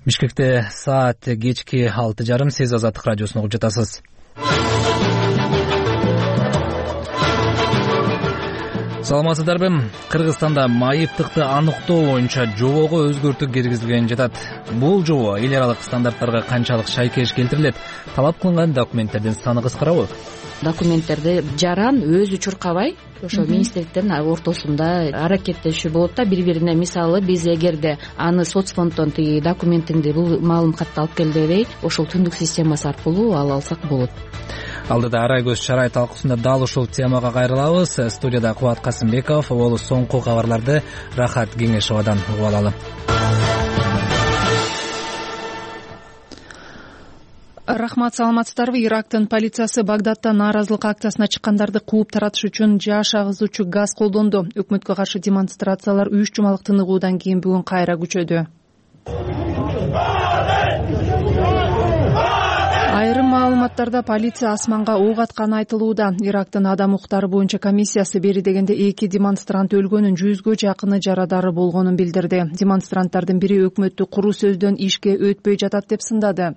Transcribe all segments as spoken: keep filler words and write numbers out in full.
Бишкекте саат кечки алты жарым. Сиз Азаттык радиосун угуп жатасыз. Саламатсыздарбы? Кыргызстанда майыптыкты аныктоо боюнча жобого өзгөртүү киргизилген жатат. Бул жобо эл аралык стандарттарга канчалык шайкеш келтирилет? Талап кылынган документтердин саны кыскарабы? Документтерди жаран өзү чуркабай, ошо министрликтердин ортосунда аракеттешүү болот да, бири-бирине. Мисалы, биз эгерде аны соцфонддон тиги документиңди, бул маалымкатты алып кел дебей, ошол түндүк системасы аркылуу ала алсак болот. Алдыда Арай көз чарай талкуусунда дал ушул темага кайрылабыз. Студияда Кубат Касымбеков, ол соңку кабарларды Рахат Кеңешовадан угуп алалы. Рахмат, саламатсыздарбы? Ирактын полициясы Багдадта нааразылык акциясына чыккандарды кууп таратыш үчүн жаш агызуучу газ колдонду. Өкмөткө каршы демонстрациялар үч жумалык тыныгуудан кийин бүгүн кайра күчөдү. Айрым маалыматтарда полиция асманга ок атканы айтылууда. Ирактын адам укуктары боюнча комиссиясы бери дегенде эки демонстрант өлгөнүн, жүзгө жакыны жарадары болгонун билдирди. Демонстранттардын бири өкмөттү куру сөздөн ишке өтпөй жатат деп сындады.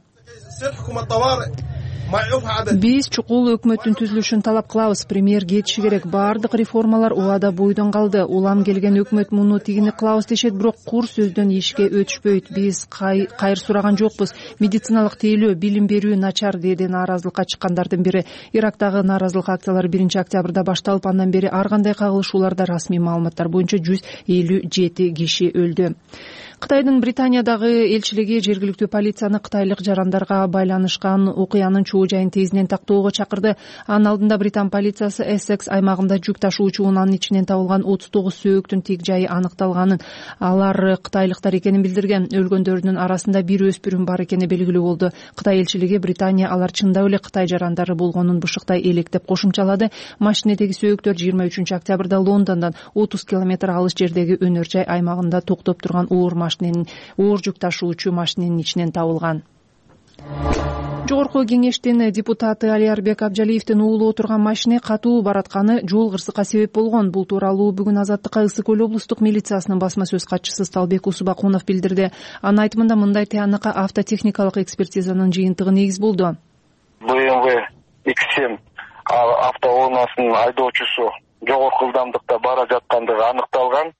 Биз чукул өкмөттүн түзүлүшүн талап кылабыз. Премьер кетиши керек. Баардык реформалар убада бойдон калды. Улам келген өкмөт муну тигини кылабыз дешет, бирок кур сөздөн ишке өтүшпөйт. Биз кайыр сураган жокпуз. Медициналык тейлөө, билим берүү начар, деди нааразылыкка чыккандардын бири. Ирактагы нааразылык акциялары биринчи октябрда башталып, андан бери ар кандай кагылышууларда расмий маалыматтар боюнча жүз элүү жети киши өлдү. Кытайдын Британиядагы элчилиги жергиликтүү полицияны кытайлык жарандарга байланышкан окуянын чоо жайын тезинен тактоого чакырды. Анын алдында Британ полициясы Эссекс аймагында жүк ташуучу унаанын ичинен табылган отуз тогуз сөөктүн тик жайы аныкталганын, алар кытайлыктар экенин билдирген. Өлгөндөрдүн арасында бир өспүрүм бар экени белгилүү болду. Кытай элчилиги Британия алар чындап эле Кытай жарандары болгонун бушуктай электеп кошумчалады. Машинедеги сөөктөр жыйырма үчүнчү октябрда Лондондон отуз километр алыс жердеги өнөр жай аймагында токтоп турган оор машиненин оор жүк ташуучу машиненин ичинен табылган. Жогорку кеңештин депутаты Алиарбек Абжалиевдин уулу отурган машине катуу баратканы жол кырсыкка себеп болгон. Бул тууралуу бүгүн Азаттыкка Ысык көл облустук милициясынын басма сөз катчысы Сталбек Усубакунов билдирди. Анын айтымында мындай тыянакка автотехникалык экспертизанын жыйынтыгы негиз болду. бэ эм вэ икс семь автоунаасынын айдоочусу жогорку ылдамдыкта бара жаткандыгы аныкталган.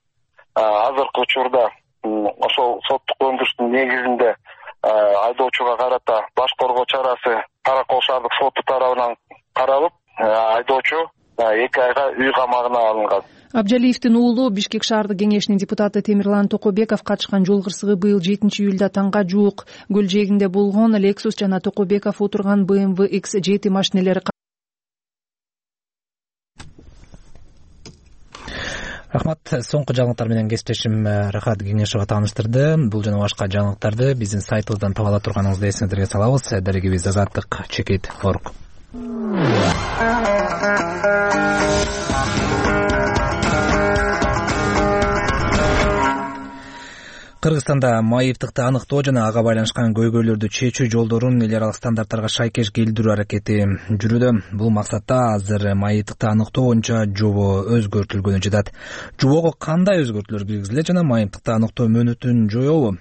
Азыркы учурда ошол соттук өндүрүштүн негизинде айдоочуга карата баш коргоо чарасы Каракол шаардык соту тарабынан каралып, айдоочу эки айга үй камагына алынган. Абжалиевдин уулу Бишкек шаардык кеңешинин депутаты Темирлан Токобеков катышкан жол кырсыгы быйыл жетинчи июлда таңга жуук көл жээгинде болгон. Lexus жана Токобеков отурган бэ эм вэ икс жети машинелери. Рахмат. Соңку жаңылыктар менен кесиптешим Рахат Кеңешова тааныштырды. Бул жана башка жаңылыктарды биздин сайтыбыздан таба ала турганыңызды эсиңиздерге салабыз. Дарегибиз Азаттык чекит точка орг. Кыргызстанда майыптыкты аныктоо жана ага байланышкан көйгөйлөрдү чечүү жолдорун эл аралык стандарттарга шайкеш келтирүү аракети жүрүүдө. Бул максатта азыр майыптыкты аныктоо боюнча жобо өзгөртүлгөнү жатат. Жобого кандай өзгөртүүлөр киргизилет жана майыптыкты аныктоо мөөнөтүн жоёбу?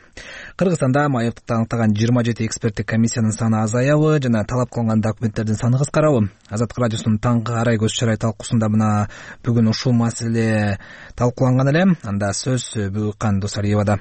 Кыргызстанда майыптыкты аныктаган жыйырма жети эксперттик комиссиянын саны азаябы жана талап кылынган документтердин саны кыскарабы? Азаттык радиосунун таңкы Арай көз чарай талкуусунда мына бүгүн ушул маселе талкууланган эле. Анда сөз Бүгүккан Досалиевада.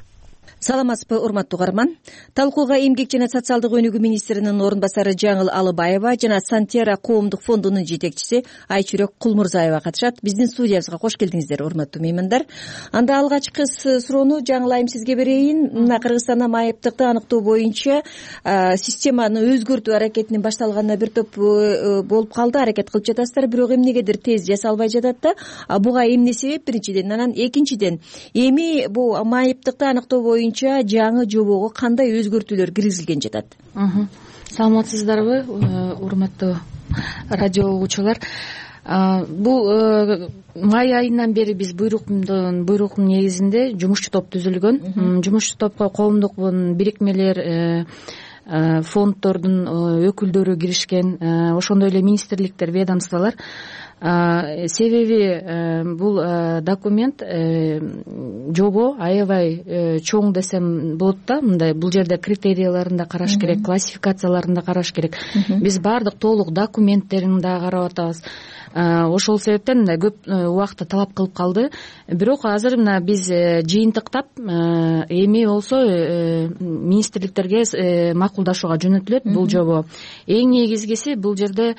Саламатсызбы, урматтуу угарман. Талкууга Эмгек жана социалдык өнүгүү министринин орун басары Жаңыл Алыбаева жана Сантера коомдук фондунун жетекчиси Айчүрөк Кулмурзаева катышат. Биздин студиябызга кош келдиңиздер, урматтуу меймандар. Анда алгачкы суроону Жаңыл айым сизге берейин. Мына Кыргызстанда майыптыкты аныктоо боюнча системаны өзгөртүү аракетинин башталганына бир топ болуп калды, аракет кылып жатасыздар, бирок эмнегедир тез жасалбай жатат да. Буга эмне себеп? Биринчиден, анан экинчиден, эми бул майыптыкты аныктоо боюнча жаңы жобого кандай өзгөртүүлөр киргизилген жатат? Саламатсыздарбы, урматтуу радио угуучулар? Бул май айынан бери биз буйруктун буйруктун негизинде жумушчу топ түзүлгөн. Жумушчу топко коомдук бирикмелер, фонддордун өкүлдөрү киришкен, ошондой эле министрликтер, ведомстволор. себеби бул документ жобо аябай чоң десем болот да. Мындай бул жерде критерияларын да караш керек, классификацияларын да караш керек. Биз баардык толук документтерин да карап атабыз. Ошол себептен мындай көп убакытты талап кылып калды. Бирок азыр мына биз жыйынтыктап эми болсо министрликтерге макулдашууга жөнөтүлөт бул жобо. Эң негизгиси бул жерде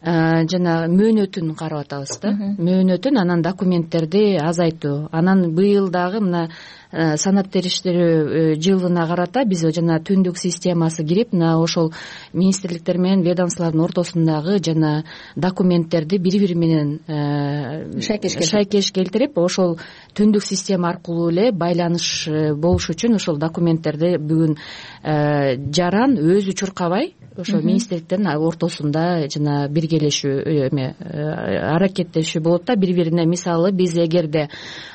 жана мөөнөтүн карап атабыз да. Мөөнөтүн, анан документтерди азайтуу. Анан быйыл дагы мына санат териштирүү жылына карата биз жана түндүк системасы кирип, мына ошол министрликтер менен ведомстволордун ортосундагы жана документтерди бири-бири менен шайкеш келтирип, ошол түндүк система аркылуу эле байланыш болуш үчүн ошол документтерди бүгүн жаран өзү чуркабай ошо министрликтердин ортосунда жана биргелешүү эме аракеттешүү болот да бири-бирине. Мисалы биз эгерде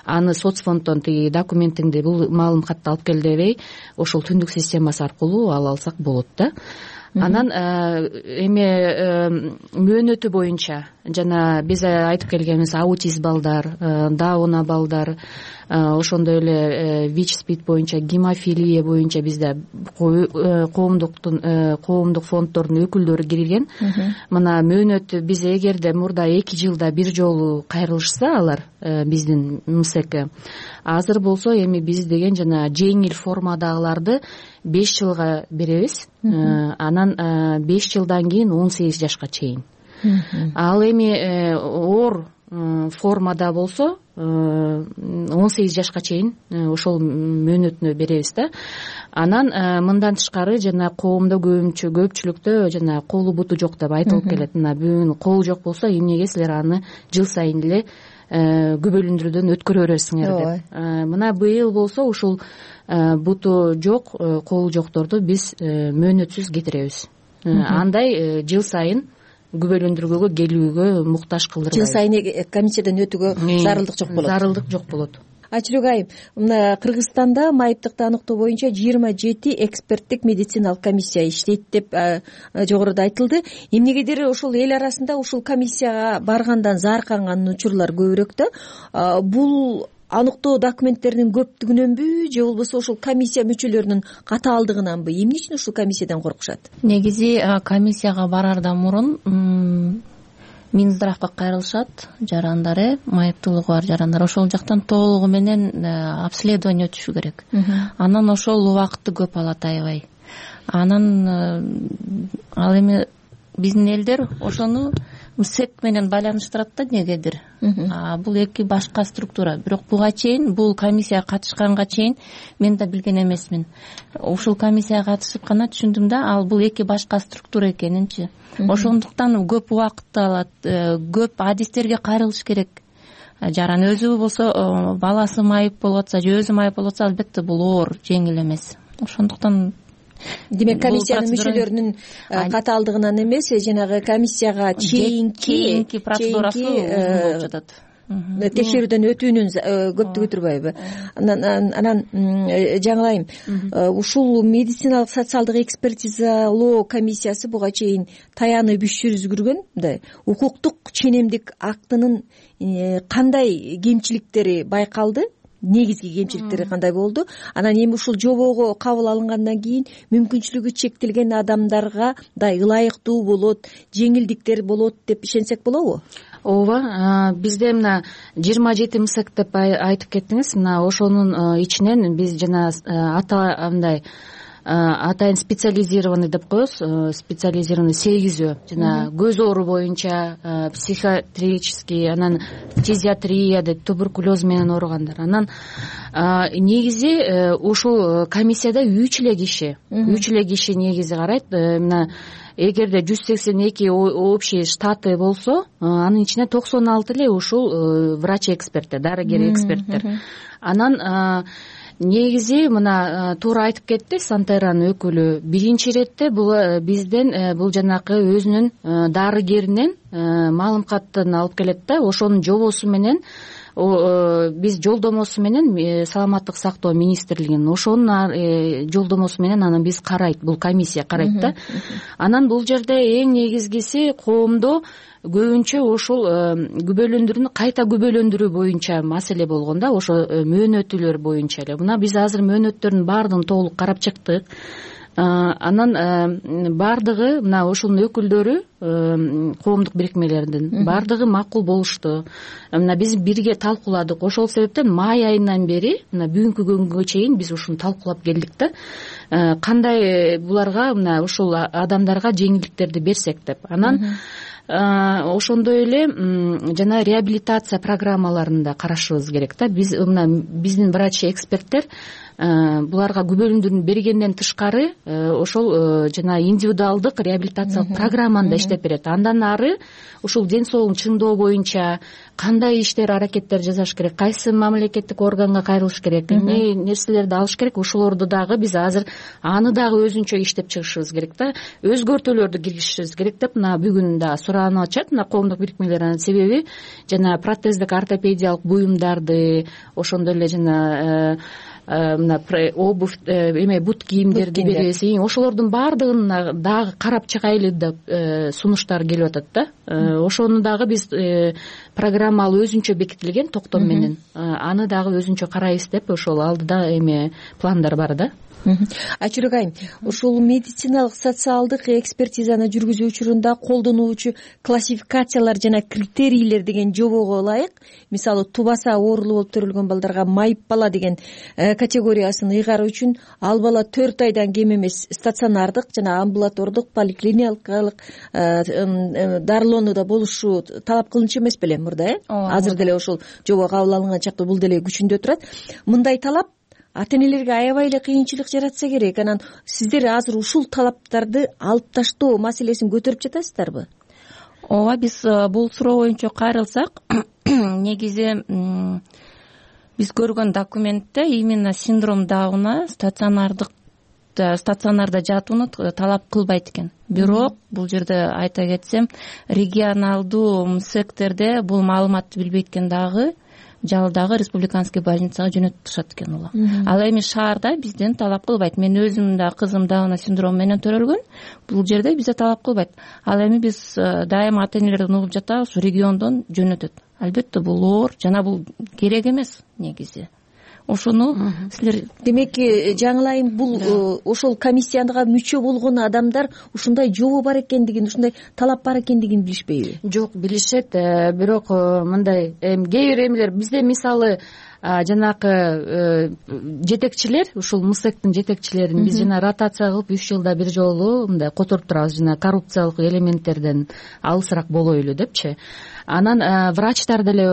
аны соцфонддон тиги документиңди бул маалымкатты алып кел дебей, ошол түндүк системасы аркылуу ала алсак болот да. Анан эме мөөнөтү боюнча жана биз айтып келгенибиз аутизм балдар, даун балдар, ошондой эле вич спид боюнча, гемофилия боюнча бизде коомдуктун коомдук фонддордун өкүлдөрү кирген. Мына мөөнөт биз эгерде мурда эки жылда бир жолу кайрылышса алар биздин МСЭК, азыр болсо эми биз деген жана жеңил формадагыларды беш жылга беребиз. Анан беш жылдан кийин он сегиз жашка чейин. Ал эми оор формада болсо он сегиз жашка чейин ошол мөөнөтүнө беребиз да. Анан мындан тышкары жана коомдо көбүнчө көпчүлүктө жана колу буту жок деп айтылып келет. Мына бүгүн колу жок болсо эмнеге силер аны жыл сайын эле күбөлүндүрүүдөн өткөрө бересиңер деп. Мына быйыл болсо ушул буту жок, колу жокторду биз мөөнөтсүз кетиребиз. Андай жыл сайын күбөлөндүргөгө келүүгө муктаж кылдырбайбыз. Жыл сайын комиссиядан өтүүгө зарылдык жок болот. Зарылдык жок болот. Айчүрөк айым, мына Кыргызстанда майыптыкты аныктоо боюнча жыйырма жети эксперттик медициналык комиссия иштейт деп жогоруда айтылды. Эмнегедир ошол эл арасында ушул комиссияга баргандан заарканган учурлар көбүрөөк да. Бул аныктоо документтеринин көптүгүнөнбү же болбосо ошол комиссия мүчөлөрүнүн катаалдыгынанбы? Эмне үчүн ушул комиссиядан коркушат? Негизи комиссияга бараардан мурун Минздравга кайрылышат жарандары, майыптуулугу бар жарандар. Ошол жактан толугу менен обследование өтүшү керек. Анан ошол убакытты көп алат аябай. Анан ал эми биздин элдер ошону МСЭК менен байланыштырат да негедир. Бул эки башка структура. Бирок буга чейин, бул комиссияга катышканга чейин мен да билген эмесмин. Ушул комиссияга катышып гана түшүндүм да, ал бул эки башка структура экенинчи. Ошондуктан көп убакытты алат, көп адистерге кайрылыш керек. Жаран өзү болсо, баласы майып болуп атса же өзү майып болуп атса, албетте бул оор, жеңил эмес. Ошондуктан демек комиссиянын мүчөлөрүнүн катаалдыгынан эмес, жанагы комиссияга чейинки процедурасы болуп жатат. Текшерүүдөн өтүүнүн көптүгү турбайбы? Анан жаңылайым, ушул медициналык социалдык экспертизалоо комиссиясы буга чейин таянып иш жүргүзгөн, мындай укуктук ченемдик актынын кандай кемчиликтери байкалды? Негизги кемчиликтери кандай болду? Анан эми ушул жобого кабыл алынгандан кийин мүмкүнчүлүгү чектелген адамдарга да ылайыктуу болот, жеңилдиктер болот деп ишенсек болобу? Ооба, бизде мына жыйырма жети МСЭК деп айтып кеттиңиз. Мына ошонун ичинен биз жана ата андай атайын специализированный деп коебуз, специализированный сегизөө жана көз оору боюнча, психиатрический, анан фтизиатрия деп туберкулез менен ооругандар. Анан негизи ушул комиссияда үч эле киши, үч эле киши негизи карайт. Мына эгерде жүз сексен эки общий штаты болсо, анын ичинде токсон алты эле ушул врач эксперттер, дарыгер эксперттер. Анан негизи мына туура айтып кетти Сантеранын өкүлү. Биринчи иретте бул бизден бул жанакы өзүнүн дарыгеринен маалымкатын алып келет да, ошонун жобосу менен биз жолдомосу менен саламаттык сактоо министрлигинин ошонун жолдомосу менен анан биз карайт, бул комиссия карайт да. Анан бул жерде эң негизгиси коомдо көбүнчө ошол күбөлөндүрүүнү кайта күбөлөндүрүү боюнча маселе болгон да, ошо мөөнөтүлөр боюнча эле. Мына биз азыр мөөнөттөрдүн баардыгын толук карап чыктык. Анан баардыгы мына ошонун өкүлдөрү коомдук бирикмелердин баардыгы макул болушту. Мына биз бирге талкууладык. Ошол себептен май айынан бери мына бүгүнкү күнгө чейин биз ушуну талкуулап келдик да. Кандай буларга мына ушул адамдарга жеңилдиктерди берсек деп. Анан ошондой эле жана реабилитация программаларын да карашыбыз керек да. Биз мына биздин врач эксперттер буларга күбөлөндүрүүнү бергенден тышкары ошол жана индивидуалдык реабилитациялык программаны да иштеп берет. Андан ары ушул ден соолугун чыңдоо боюнча кандай иштер аракеттер жасаш керек, кайсы мамлекеттик органга кайрылыш керек, эмне нерселерди алыш керек, ошолорду дагы биз азыр аны дагы өзүнчө иштеп чыгышыбыз керек да. Өзгөртүүлөрдү киргизишибиз керек деп мына бүгүн да суранып атышат мына коомдук бирикмелер. Анын себеби жана протездик ортопедиялык буюмдарды, ошондой эле жана мына обувь эме бут кийимдерди беребиз. Ошолордун баардыгын дагы карап чыгайлы деп сунуштар келип атат да. Ошону дагы биз программалуу өзүнчө бекитилген токтом менен аны дагы өзүнчө карайбыз деп ошол алдыда эме пландар бар да. Айчүрөк айым, ушул медициналык социалдык экспертизаны жүргүзүү учурунда колдонуучу классификациялар жана критерийлер деген жобого ылайык, мисалы тубаса оорулуу болуп төрөлгөн балдарга майып бала деген категориясын ыйгаруу үчүн ал бала төрт айдан кем эмес стационардык жана амбулатордук поликлиникалык дарылоонуда болушу талап кылынчу эмес беле мурда, э? Азыр деле ошол жобо кабыл алынган чакта бул деле күчүндө турат. Мындай талап ата-энелерге аябай эле кыйынчылык жаратса керек. Анан сиздер азыр ушул талаптарды алып таштоо маселесин көтөрүп жатасыздарбы? Ооба, биз бул суроо боюнча кайрылсак, негизи биз көргөн документте именно синдром Дауна стационардык стационарда жатууну талап кылбайт экен. Бирок бул жерде айта кетсем, регионалдуу МСЭКтерде бул маалыматты билбейт экен дагы жалдагы республиканский больницага жөнөтүшат экен улам. Ал эми шаарда бизден талап кылбайт. Мен өзүм да кызым Дауна синдрому менен төрөлгөн. Бул жерде бизде талап кылбайт. Ал эми биз дайыма ата-энелерден угуп жатабыз, региондон жөнөтөт. Албетте бул оор жана бул керек эмес негизи. Ошону силер демеки жаңылайым, бул ошол комиссияга мүчө болгон адамдар ушундай жобо бар экендигин, ушундай талап бар экендигин билишпейби? Жок, билишет. Бирок мындай кээ бир эмелер бизде мисалы жанакы жетекчилер, ушул МСЭКтин жетекчилерин биз жана ротация кылып үч жылда бир жолу мындай которуп турабыз, жана коррупциялык элементтерден алысыраак болойлу депчи. Анан врачтар деле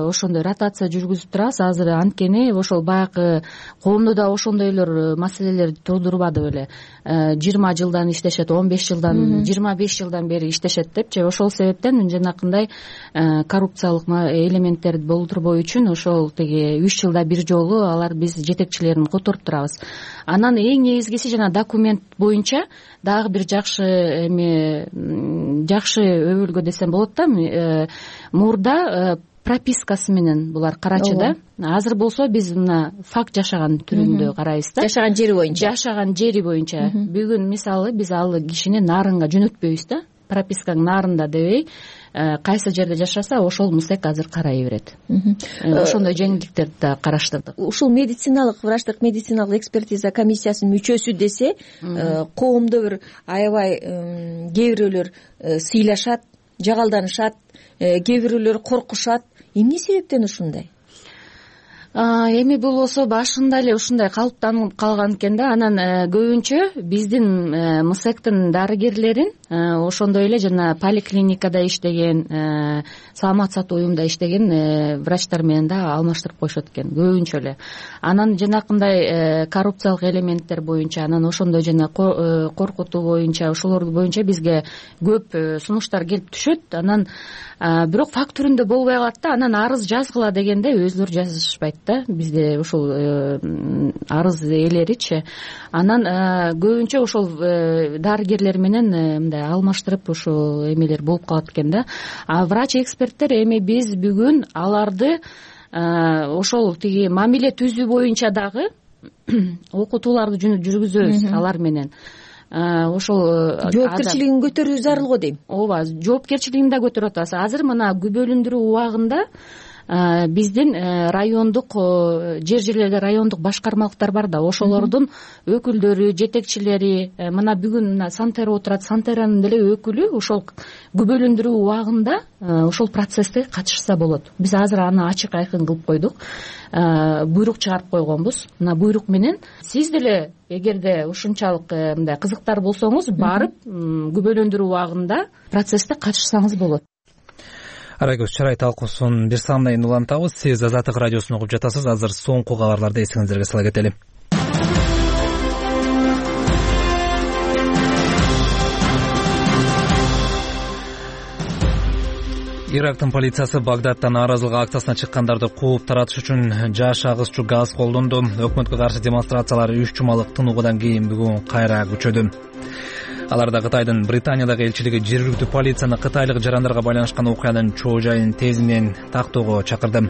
ошондой ротация жүргүзүп турабыз. Азыр анткени ошол баягы коомдо да ошондой эле маселелер туудурбады беле. жыйырма жылдан иштешет, он беш жылдан, жыйырма беш жылдан бери иштешет депчи. Ошол себептен жанакындай коррупциялык элементтерди болтурбоо үчүн ошол теги үч жылда бир жолу алар биз жетекчилерин которуп турабыз. Анан эң негизгиси жана документ боюнча дагы бир жакшы эме жакшы өбөлгө десем болот да. Мурда пропискасы менен булар карачы да. Азыр болсо биз мына факт жашаган түрүндө карайбыз да. Жашаган жери боюнча. Жашаган жери боюнча. Бүгүн мисалы биз ал кишини нарынга жөнөтпөйбүз да. Пропискаң нарында дебей, кайсы жерде жашаса ошол МСЭК азыр карай берет. Ошондой жеңилдиктерди да караштырдык. Ушул медициналык врачтык медициналык экспертиза комиссиясынын мүчөсү десе, коомдо бир аябай кээ бирөөлөр сыйлашат, жагалданышат, кээ бирөөлөр коркушат. Эмне себептен ушундай? Эми бул болсо башында эле ушундай калыптанып калган экен да. Анан көбүнчө биздин МСЭКтин дарыгерлерин ошондой эле жана поликлиникада иштеген, саламат сактоо уюмунда иштеген врачтар менен да алмаштырып коюшат экен көбүнчө эле. Анан жанакындай коррупциялык элементтер боюнча, анан ошондой жана коркутуу боюнча, ошолор боюнча бизге көп сунуштар келип түшөт. Анан бирок факт түрүндө болбой калат да. Анан арыз жазгыла дегенде өзүлөрү жазышпайт да. Бизде ошол арыз ээлеричи. Анан көбүнчө ошол дарыгерлер менен мындай алмаштырып ошол эмелер болуп калат экен да. А врач эксперттер эми биз бүгүн аларды ошол тиги мамиле түзүү боюнча дагы окутууларды жүргүзөбүз алар менен. Ошол жоопкерчилигин көтөрүү зарыл го дейм. ооба, жоопкерчилигин да көтөрүп атабыз. Азыр мына күбөлүндүрүү убагында биздин райондук жер жерлерде райондук башкармалыктар бар да, ошолордун өкүлдөрү, жетекчилери, мына бүгүн мына Сантера отурат, Сантеранын деле өкүлү ошол күбөлүндүрүү убагында ошол процессте катышса болот. Биз азыр аны ачык айкын кылып койдук, буйрук чыгарып койгонбуз. Мына буйрук менен сиз деле эгерде ушунчалык мындай кызыктар болсоңуз, барып күбөлөндүрүү убагында процессте катышсаңыз болот. Арай көз чарай талкуусун бир саамдан улантабыз. Сиз Азаттык радиосун угуп жатасыз. Азыр соңку кабарларды эсиңиздерге сала кетели. Ирактын полициясы Багдадтан нааразылык акциясына чыккандарды кууп таратыш үчүн жаш агызчу газ колдонду. Өкмөткө каршы демонстрациялар үч жумалык тынуудан кийин бүгүн кайра күчөдү. Аларда Кытайдын Британиядагы элчилиги жергиликтүү полицияны кытайлык жарандарга байланышкан окуянын чоо жайын тезинен тактоого чакырды.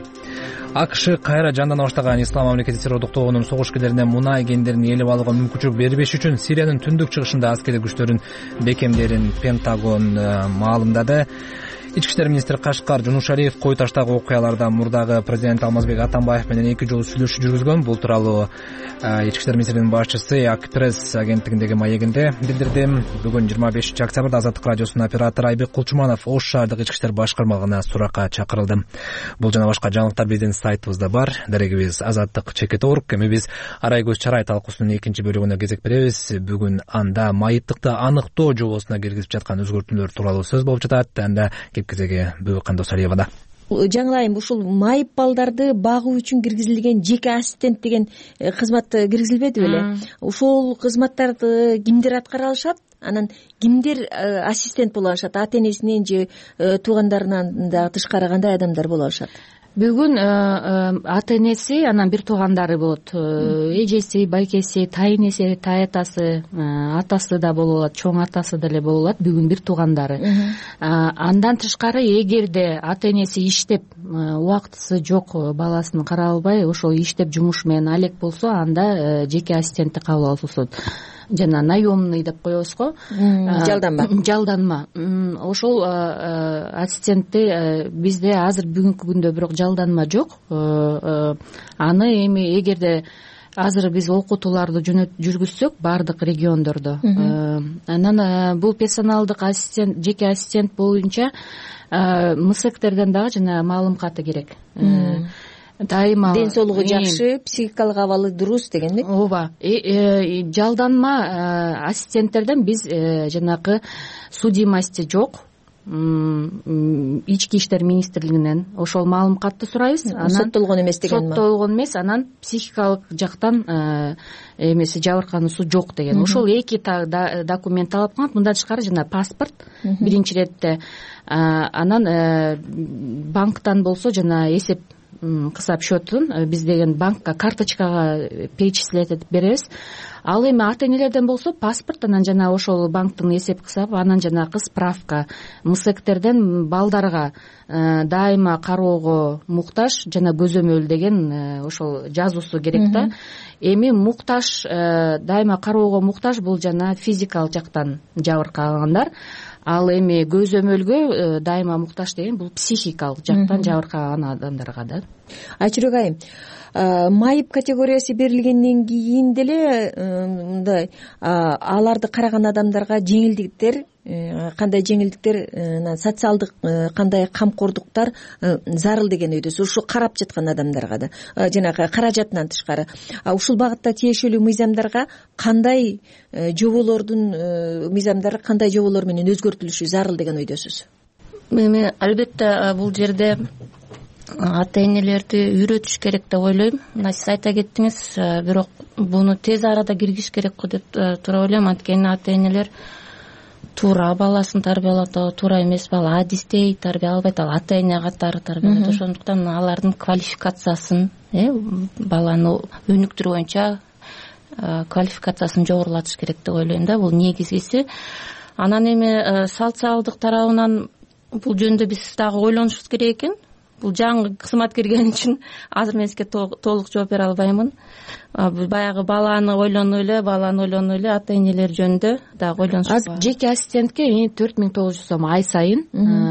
АКШ кайра жандана баштаган Ислам мамлекети террордук тобунун согуш-кедеринен мунай кендерин ээлеп алууга мүмкүнчүлүк бербеш үчүн Сириянын түндүк чыгышында аскерий күчтөрүн бекемдерин Пентагон маалымдады. Ички иштер министри Кашкар Жунушалиев кой таштагы окуяларда мурдагы президент Алмазбек Атамбаев менен эки жолу сүйлөшүү жүргүзгөн. Бул тууралуу Ички иштер министринин башчысы Акпресс агенттигиндеги маегинде билдирди. Бүгүн жыйырма бешинчи октябрда Азаттык радиосунун оператору Айбек Кулчуманов Ош шаардык ички иштер башкармалыгына суракка чакырылды. Бул жана башка жаңылыктар биздин сайтыбызда бар. Дарегибиз Азаттык чекит орг. Эми биз Арай көз чарай талкуусунун экинчи бөлүгүнө кезек беребиз. Бүгүн анда майыптыкты аныктоо жобосуна киргизип жаткан өзгөртүүлөр тууралуу сөз болуп жатат. Анда кезеге Бөбөк Кандосалиевада. Жаңылайым, ушул майып балдарды багуу үчүн киргизилген жеке ассистент деген кызмат киргизилбеди беле? Ушул кызматтарды кимдер аткара алышат? Анан кимдер ассистент боло алышат? Ата энесинен же туугандарынан да тышкары кандай адамдар боло алышат? Бүгүн ата энеси, анан бир туугандары болот. Эжеси, байкеси, тайнеси, таятасы, атасы да боло алат, чоң атасы деле боло алат. Бүгүн бир туугандары. Андан тышкары, эгерде ата энеси иштеп, убактысы жок, баласын карай албай, ошол иштеп жумуш менен алек болсо, анда жеке ассистентти кабыл алышат. Жана наемный деп коебуз го. Жалданма. Жалданма. Ошол ассистентти бизде азыр бүгүнкү күндө бирок жалданма жок. Аны эми эгерде азыр биз окутууларды жүргүзсөк баардык региондордо, анан бул персоналдык ассистент, жеке ассистент боюнча МСЭКтерден дагы жана маалым каты керек. Дайыма ден соолугу жакшы, психикалык абалы дурус дегенби? Ооба. Жалданма ассистенттерден биз жанагы судимости жок, ички иштер министрлигинен ошол маалым катты сурайбыз. Анан соттолгон эмес деген. Соттолгон эмес, анан психикалык жактан эмеси жабыркануусу жок деген. Ошол эки документ талап кылынат. Мындан тышкары жана паспорт биринчи иретте, анан банктан болсо жана эсеп кысап счетун биз деген банкка, карточкага перечислять этип беребиз. Ал эми ата энелерден болсо паспорт, анан жана ошол банктын эсеп кысабы, анан жанагы справка. МСЭКтерден балдарга дайыма кароого муктаж жана көзөмөл деген ошол жазуусу керек да. Эми муктаж, дайыма кароого муктаж бул жана физикалык жактан жабыркагандар. Ал эми көзөмөлгө дайыма муктаж деген бул психикалык жактан жабыркаган адамдарга да. Айчүрөк айым, майып категориясы берилгенден кийин деле мындай аларды караган адамдарга жеңилдиктер, кандай жеңилдиктер, социалдык кандай камкордуктар зарыл деген өйдөсүз. Ушу карап жаткан адамдарга да, жанагы каражатынан тышкары. Ушул багытта тиешелүү мыйзамдарга кандай жоболордун мыйзамдары кандай жоболор менен өзгөртүлүшү зарыл деген өйдөсүз? Эми албетте бул жерде ата энелерди үйрөтүш керек деп ойлойм. Мына сиз айта кеттиңиз, бирок буну тез арада киргизиш керек го деп туура ойлойм. Анткени ата энелер туура баласын тарбиялап атабы, туура эмес бала адистей тарбия албайт, ал ата эне катары тарбиялайт. Ошондуктан алардын квалификациясын, баланы өнүктүрүү боюнча квалификациясын жогорулатыш керек деп ойлойм да, бул негизгиси. Анан эми социалдык тарабынан бул жөнүндө биз дагы ойлонушубуз керек экен. бул жаңы кызмат кирген үчүн азыр мен сизге толук жооп бере албаймын. Баягы баланы ойлону эле, баланы ойлону эле ата энелер жөнүндө дагы ойлонушубуз бар. Жеке ассистентке төрт миң тогуз жүз сом ай сайын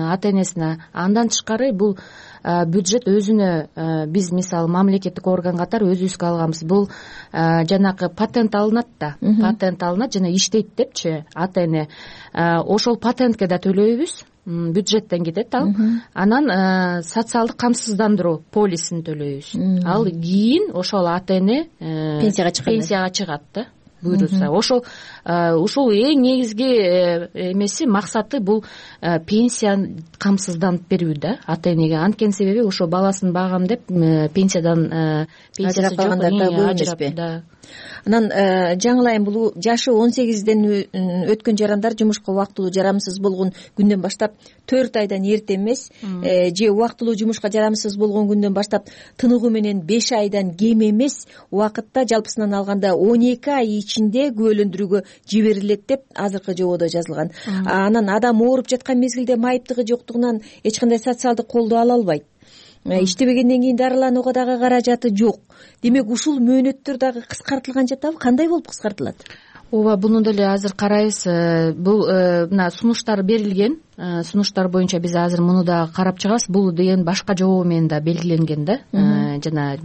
ата энесине. Андан тышкары бул бюджет өзүнө биз мисалы мамлекеттик орган катары өзүбүзгө алганбыз. Бул жанагы патент алынат да, патент алынат жана иштейт депчи ата эне. Ошол патентке да төлөйбүз. Бюджеттен кетет ал. Анан социалдык камсыздандыруу полисин төлөйбүз. Ал кийин ошол ата эне пенсияга чыгат. Пенсияга чыгат да. Буйруса. Ошол ушул эң негизги эмеси, максаты бул пенсия камсызданып берүү да ата энеге. Анткени себеби ошо баласын багам деп пенсиядан ажырап калгандар да көп эмеспи? Анан жаңылайым, бул жашы он сегизден өткөн жарандар жумушка убактылуу жарамсыз болгон күндөн баштап төрт айдан эрте эмес, же убактылуу жумушка жарамсыз болгон күндөн баштап тыныгуу менен беш айдан кем эмес убакытта жалпысынан алганда он эки ай ичинде күбөлөндүрүүгө жиберилет деп азыркы жободо жазылган. Анан адам ооруп жаткан мезгилде майыптыгы жоктугунан эч кандай социалдык колдоо ала албайт. Иштебегенден кийин дарыланууга дагы каражаты жок. Демек ушул мөөнөттөр дагы кыскартылган жатабы? Кандай болуп кыскартылат? Ооба, буну деле азыр карайбыз. Бул мына сунуштар берилген. Сунуштар боюнча биз азыр муну дагы карап чыгабыз. Бул деген башка жобо менен да белгиленген да. Жана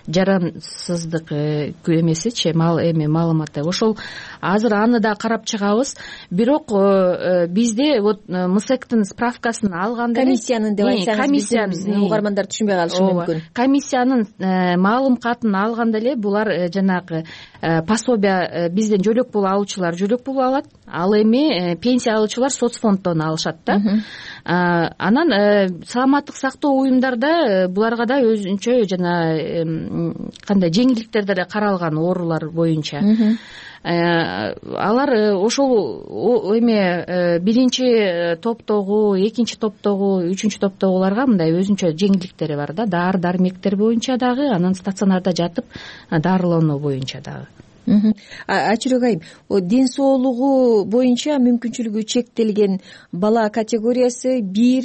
жарансыздык эмесичи, мал эми маалыматы. Ошол азыр аны да карап чыгабыз. Бирок бизде вот МСЭКтин справкасын алганда комиссиянын деп айтсаңыз, биздин угармандар түшүнбөй калышы мүмкүн. Комиссиянын маалым катын алганда эле булар жанагы пособие бизден жөлөк пул алуучулар жөлөк пул алат. Ал эми пенсия алуучулар соцфонддон алышат да. Анан саламаттык сактоо уюмдарда буларга да өзүнчө жана кандай жеңилдиктер деле каралган оорулар боюнча. Алар ошол эме биринчи топтогу, экинчи топтогу, үчүнчү топтогуларга мындай өзүнчө жеңилдиктери бар да. Дары дармектер боюнча дагы, анан стационарда жатып дарылануу боюнча дагы. Ачурек айым, ден соолугу боюнча мүмкүнчүлүгү чектелген бала категориясы бир,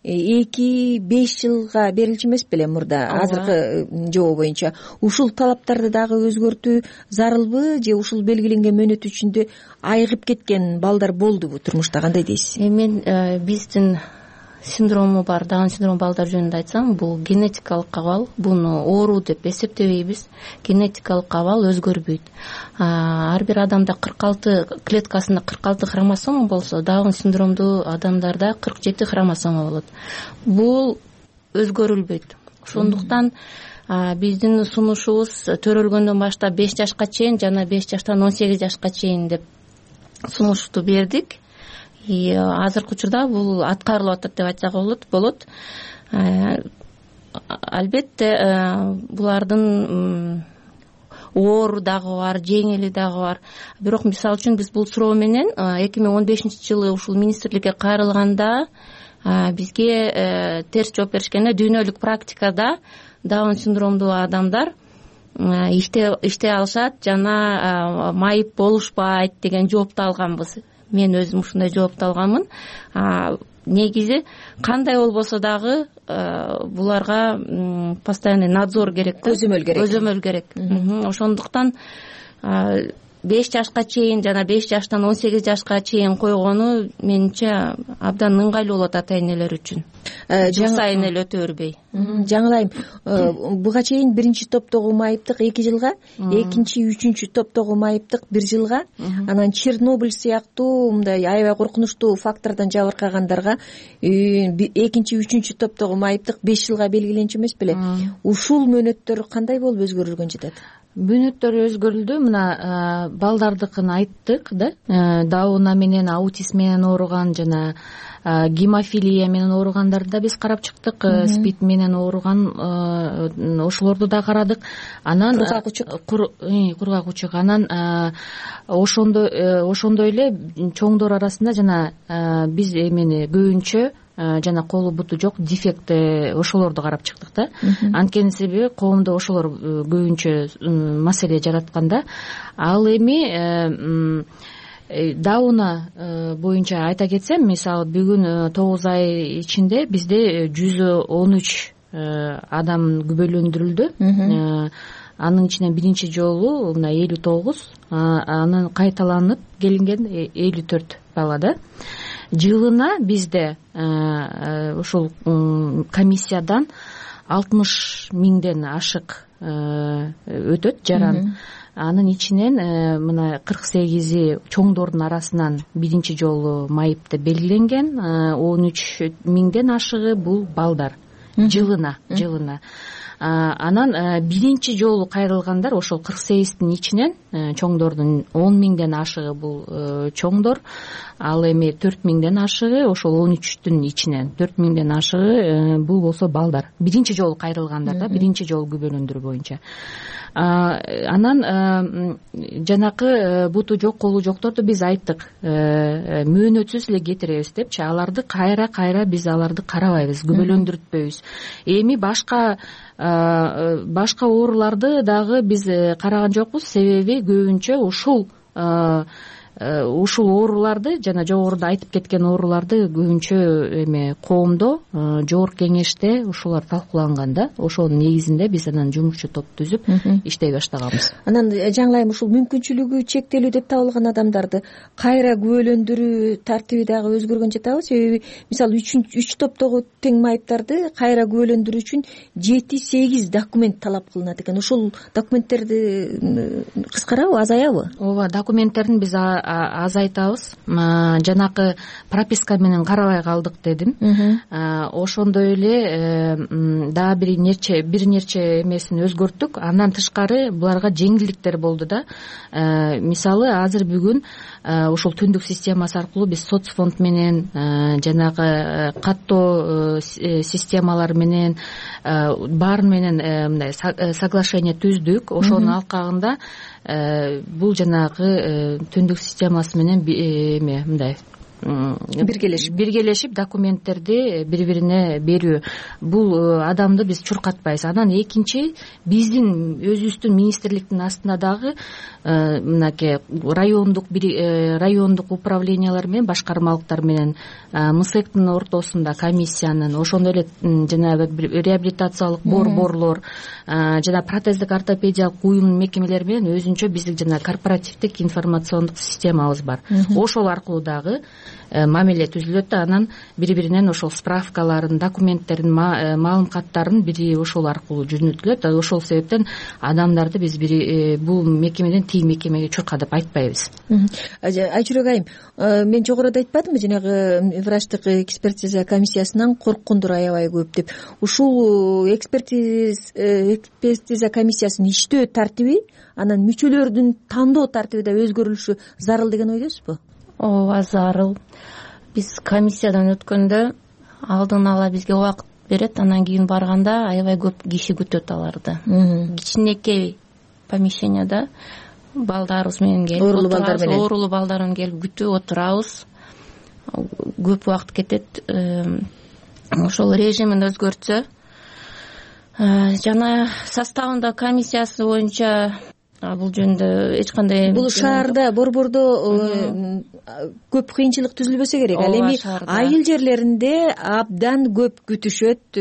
эки, беш жылга берилчү эмес беле мурда азыркы жобо боюнча? Ушул талаптарды дагы өзгөртүү зарылбы, же ушул белгиленген мөөнөт ичинде айыгып кеткен балдар болдубу турмушта? Кандай дейсиз? Мен биздин синдрому бар, Даун синдрому балдар жөнүндө айтсам, бул генетикалык абал. Буну оору деп эсептебейбиз. Генетикалык абал өзгөрбөйт. Ар бир адамда кырк алты клеткасында кырк алты хромосома болсо, Даун синдромдуу адамдарда кырк жети хромосома болот. Бул өзгөрүлбөйт. Ошондуктан биздин сунушубуз төрөлгөндөн баштап беш жашка чейин жана беш жаштан он сегиз жашка чейин деп сунушту бердик. И азыркы учурда бул аткарылып атат деп айтсак болот. Албетте булардын оору дагы бар, жеңили дагы бар. Бирок мисалы үчүн биз бул суроо менен эки миң он бешинчи жылы ушул министрликке кайрылганда бизге терс жооп беришкенде, дүйнөлүк практикада Даун синдромдуу адамдар иштей алышат жана майып болушпайт деген жоопту алганбыз. Мен өзүм ушундай жоопту алганмын. Негизи кандай болбосо дагы буларга постоянный надзор керек, көзөмөл керек. Көзөмөл керек. Ошондуктан беш жашка чейин жана беш жаштан он сегиз жашка чейин койгону менимче абдан ыңгайлуу болот ата энелер үчүн. Жыл сайын эле өтө бербей. Жаңылайым, буга чейин биринчи топтогу майыптык эки жылга, экинчи, үчүнчү топтогу майыптык бир жылга, анан Чернобыль сыяктуу мындай аябай коркунучтуу фактордон жабыркагандарга экинчи, үчүнчү топтогу майыптык беш жылга белгиленчү эмес беле? Ушул мөөнөттөр кандай болуп өзгөрүлгөн жатат? Мөөнөттөр өзгөрүлдү. Мына балдардыкын айттык да. Дауна менен, аутизм менен ооруган жана гемофилия менен ооругандарды да биз карап чыктык. Спид менен ооруган ошолорду да карадык. Анан кургак учук, кургак учук. Анан ошондой ошондой эле чоңдор арасында жана биз эмени көбүнчө жана колу буту жок дефект ошолорду карап чыктык да. Анткени себеби коомдо ошолор көбүнчө маселе жаратканда. Ал эми дауна боюнча айта кетсем, мисалы бүгүн тогуз ай ичинде бизде жүз он үч адам күбөлөндүрүлдү. Анын ичинен биринчи жолу мына элүү тогуз, анан кайталанып келинген элүү төрт бала да. Жылына бизде ушул комиссиядан алтымыш миңден ашык өтөт жаран. Анын ичинен мына кырк сегизи чоңдордун арасынан биринчи жолу майыпты белгиленген, он үч миңден ашыгы бул балдар жылына жылына. Анан биринчи жолу кайрылгандар ошол кырк сегиздин ичинен чоңдордун он миңден ашыгы бул чоңдор, ал эми төрт миңден ашыгы ошол он үчтүн ичинен төрт миңден ашыгы бул болсо балдар. Биринчи жолу кайрылгандар да, биринчи жолу күбөлөндүрүү боюнча. Анан жанакы буту жок, колу жокторду биз айттык, мөөнөтсүз эле кетиребиз депчи. Аларды кайра кайра биз аларды карабайбыз, күбөлөндүртпөйбүз. Эми башка башка ооруларды дагы биз караган жокпуз, себеби көбүнчө ушул ушул ооруларды, жана жогоруда айтып кеткен ооруларды көбүнчө эме коомдо, жогорку кеңеште ушулар талкууланган да. Ошонун негизинде биз анан жумушчу топ түзүп иштей баштаганбыз. Анан жаңылайым, ушул мүмкүнчүлүгү чектелүү деп табылган адамдарды кайра күбөлөндүрүү тартиби дагы өзгөргөн жатабы? Себеби мисалы үч топтогу тең майыптарды кайра күбөлөндүрүү үчүн жети сегиз документ талап кылынат экен. Ушул документтерди кыскарабы, азаябы? Ооба, документтерин биз азайтабыз. Жанакы прописка менен карабай калдык дедим. Ошондой эле дагы бир нече бир нече эмесин өзгөрттүк. Андан тышкары буларга жеңилдиктер болду да. Мисалы азыр бүгүн ушул түндүк системасы аркылуу биз соцфонд менен, жанагы каттоо системалар менен, баарын менен мындай соглашение түздүк. Ошонун алкагында бул жанагы түндүк системасы менен эме мындай биргелешип биргелешип документтерди бири-бирине берүү. Бул адамды биз чуркатпайбыз. Анан экинчи, биздин өзүбүздүн министрликтин астында дагы мынакей райондук райондук управлениялар менен, башкармалыктар менен МСЭКтин ортосунда комиссиянын, ошондой эле жанагы реабилитациялык борборлор, жана протездик ортопедиялык уюм мекемелери менен өзүнчө биздин жана корпоративдик информациондук системабыз бар. Ошол аркылуу дагы мамиле түзүлөт да. Анан бири-биринен ошол справкаларын, документтерин, маалым каттарын бири ошол аркылуу жөнөтүлөт. Ошол себептен адамдарды биз бири бул мекемеден тиги мекемеге чурка деп айтпайбыз. Айчүрөк айым, мен жогоруда айтпадымбы, жанагы врачтык экспертиза комиссиясынан корккондор аябай көп деп. Ушул экспертиза комиссиясынын иштөө тартиби, анан мүчөлөрдүн тандоо тартиби да өзгөрүлүшү зарыл деген ойдосузбу? Ооба, зарыл. Биз комиссиядан өткөндө алдын ала бизге убакыт берет, анан кийин барганда аябай көп киши күтөт аларды. Кичинекей помещенияда балдарыбыз менен келип, оорулуу балдар менен оорулуу балдар менен келип күтүп отурабыз. Көп убакыт кетет. Ошол режимин өзгөртсө, жана составында комиссиясы боюнча бул жөнүндө эч кандай, бул шаарда, борбордо көп кыйынчылык түзүлбөсө керек. Ал эми айыл жерлеринде абдан көп күтүшөт.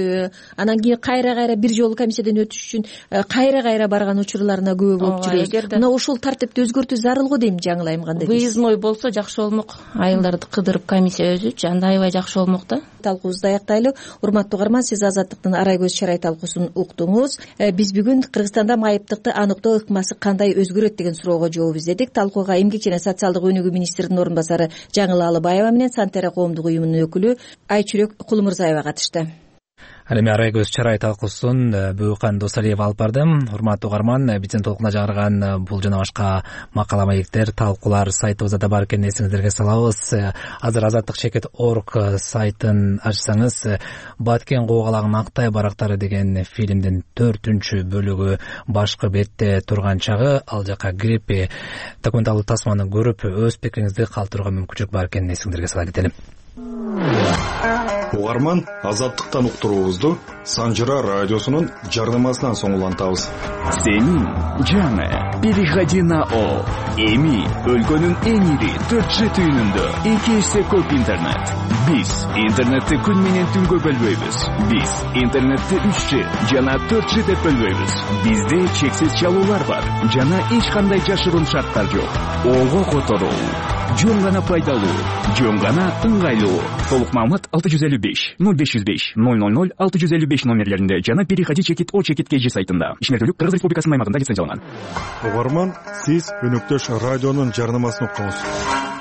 Анан кийин кайра-кайра бир жолу комиссиядан өтүш үчүн кайра-кайра барган учурларына көп болуп жүрөбүз. Мына ошол тартипти өзгөртүү зарыл го дейм, жаңылайм, кандай дейсиз? Выездной болсо жакшы болмок. Айылдарды кыдырып комиссия өзүчү, анда аябай жакшы болмок да. Талкуубузду аяктайлы. Урматтуу угарман, сиз Азаттыктын Арай көз чарай талкуусун уктуңуз. Биз бүгүн Кыргызстанда майыптыкты аныктоо ыкмасы кандай өзгөрөт деген суроого жооп издедик. Талкууга Эмгек жана социалдык өнүгүү министринин орун басары Жаңыл Алыбаева менен Сантера коомдук уюмунун өкүлү Айчүрөк Кулмурзаева катышты. Ал эми Арай көз чарай талкуусун Бүйкан Досалиева алып барды. Урматтуу угарман, биздин толкуна жаңырган бул жана башка макала маектер, талкуулар сайтыбызда да бар экенин эсиңиздерге салабыз. Азыр азаттык чекит точка орг сайтын ачсаңыз, Баткен куугалагын Актай барактары деген фильмдин төртүнчү бөлүгү башкы бетте турган чагы, ал жака кирип документалдык тасманы көрүп өз пикириңизди калтырууга мүмкүнчүлүк бар экенин эсиңиздерге сала кетели. угарман, азаттыктан уктуруубузду Санжыра радиосунун жарнамасынан соң улантабыз. Сенин жаңы переходи на О. Эми өлкөнүн эң ири төрт Ж түйүнүндө эки эсе көп интернет. Биз интернетти күн менен түнгө бөлбөйбүз. Биз интернетти үч Ж жана төрт Ж деп бөлбөйбүз. Бизде чексиз чалуулар бар жана эч кандай жашыруун шарттар жок. Ого которуу жөн гана пайдалуу, жөн гана ыңгайлуу. Толук маалымат алты жүз элүү беш ноль беш жүз беш ноль ноль ноль алты жүз элүү беш номерлеринде жана переходи чекит О чекит КЖ сайтында. Ишмердүүлүк Кыргыз Республикасынын аймагында лицензияланган. Угарман, сиз өнөктөш радионун жарнамасын уктуңуз.